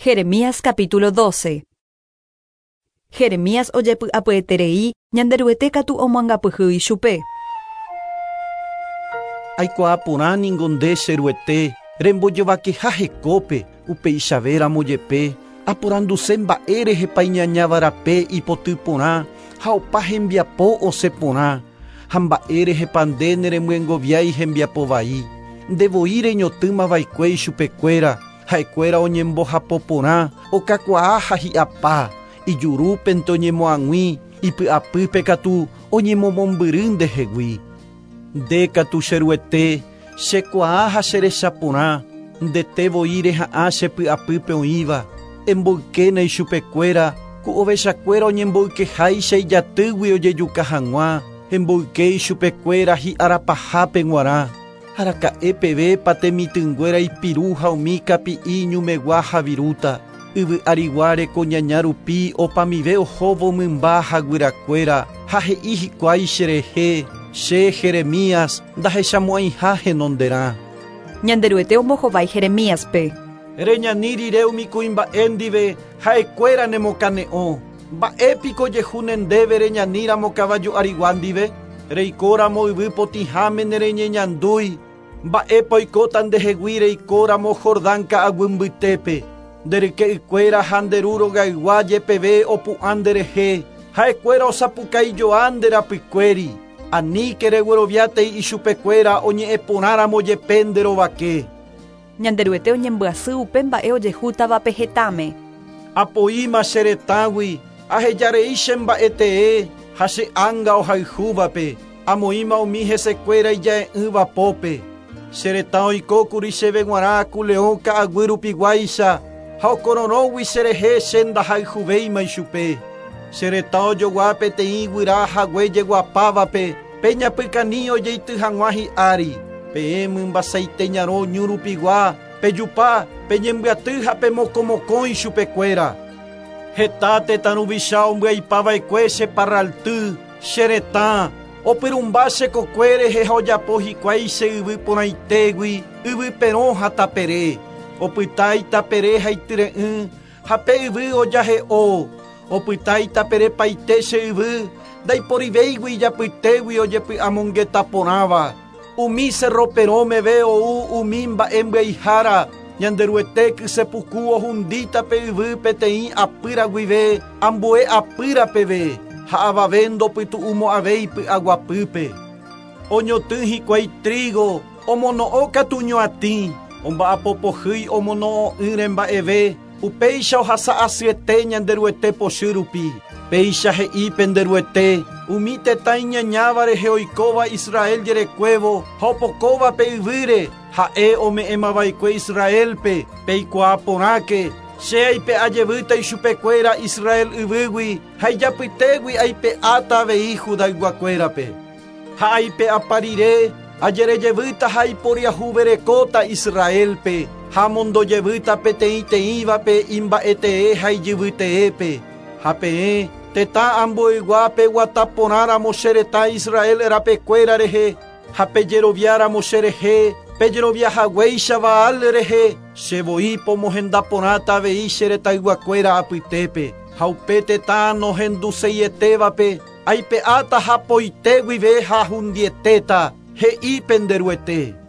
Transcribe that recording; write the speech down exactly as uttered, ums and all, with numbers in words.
Jeremías capítulo doce. Jeremías ojepy'apyeterei Ñanderuete katu omoangapyhy ichupe. Aikuaa ningo nde che Ruete rembojovakeha hekópe upeichavéramo jepe aporanduse mba'e rehepa iñañavarape ipoty porã ha opa hembiapo osẽ porã ha mba'e rehepa nde neremyengoviái hembiapo vai ndevoi reñotỹmava'ekue ichupekuéra ha'ekuéra oñembohapo porã okakuaa ha hi'apa ijurúpente oñemoag̃ui ipy'apýpe katu oñemomombyry ndehegui nde katu che Ruete chekuaa ha cherechaporã ndete voi reha'ã chepy'apýpe oĩva emboykéna ichupekuéra ku ovechakuéra oñemboykeháicha ijatýgui ojejuka hag̃ua emboyke ichupekuéra hi'arapahápe g̃uarã araka'e pevépa temitỹnguéra ipiru ha umi kapi'i ñumegua havirúta yvy ariguáre ko ñaña rupi opamive ohóvo mymba ha guyrakuéra ha he'i hikuái cherehe che Jeremías ndahechamo'ãiha henonderã. Ñanderuete ombohovái Jeremíaspe. Reñani rire umi kuimba'e ndive ha'ekuéra nemokane'õ mba'épiko jehúne ndéve reñaníramo kavaju arigua ndive reikóramo yvy potĩháme nereñeñandúi mba'épa oikóta ndehegui reikóramo Jordán ka'aguy mbytépe nderyke'ykuéra ha nderu rogaygua jepeve opu'ã nderehe ha'ekuéra osapukaijoa nde rapykuéri aníke regueroviátei ichupekuéra oñe'ẽporãramo jepe nderovake. Ñanderuete oñembyasy upe mba'e ojehútavape hetãme. Apoíma che retãgui ahejarei che mba'etee ha che ánga ohayhúvape amoĩma umi hesekuéra ija'e'ỹva pópe che retã oikókuri chéve g̃uarã ku leõ ka'aguy rupiguáicha ha okororõgui cherehe che ndahayhuvéima ichupe che retã ojogua peteĩ guyra hague jeguapávape peñapykani ojeity hag̃ua hi'ári peẽ mymbasaite ñarõ ñu rupigua pejupa peñembyaty ha pemokomokõ ichupekuéra heta tetã ruvicha ombyaipava'ekue che parralty che retã opyrũmba che kokue rehe ha ojapo hikuái che yvy porãitégui yvy perõ ha tapere opyta itapere ha ityre'ỹ ha pe yvy ojahe'o opyta itaperepaite che yvy ndaiporivéigui ijapytégui ojepy'amongeta porãva umi cerro perõmeve ou umi mba'e mbyaihára Ñanderuete kysepuku ohundíta pe yvy peteĩ apýra guive ambue apýra peve ha avave ndopytu'umo'ãvéi py'aguapýpe oñotỹ hikuái trigo omono'õ katu ñoatĩ omba'apopohýi omono'õ'ỹre mba'eve upéicha ohasa'asyete Ñanderuete pochy rupi péicha he'i penderuete umi tetã iñañáva rehe oikóva Israel jerekuévo ha opokóva pe yvýre ha'e ome'ẽmava'ekue Israelpe peikuaa porãke che aipe'ajevýta ichupekuéra Israel yvýgui ha ijapytégui aipe'áta avei Judayguakuérape ha aipe'apa rire ajerejevýta ha iporiahuverekóta Israelpe ha mondojevýta peteĩteĩvape imba'etee ha ijyvyteépe ha peẽ tetã ambueguápe guataporãramo che retã Israel rapekuéra rehe ha pejeroviáramo che rehe pejeroviahaguéicha Baal rehe che voi pomohendaporãta avei che retãyguakuéra apytépe ha upe tetã nohenduseietévape aipe'áta hapoite guive ha hundietéta he'i penderuete.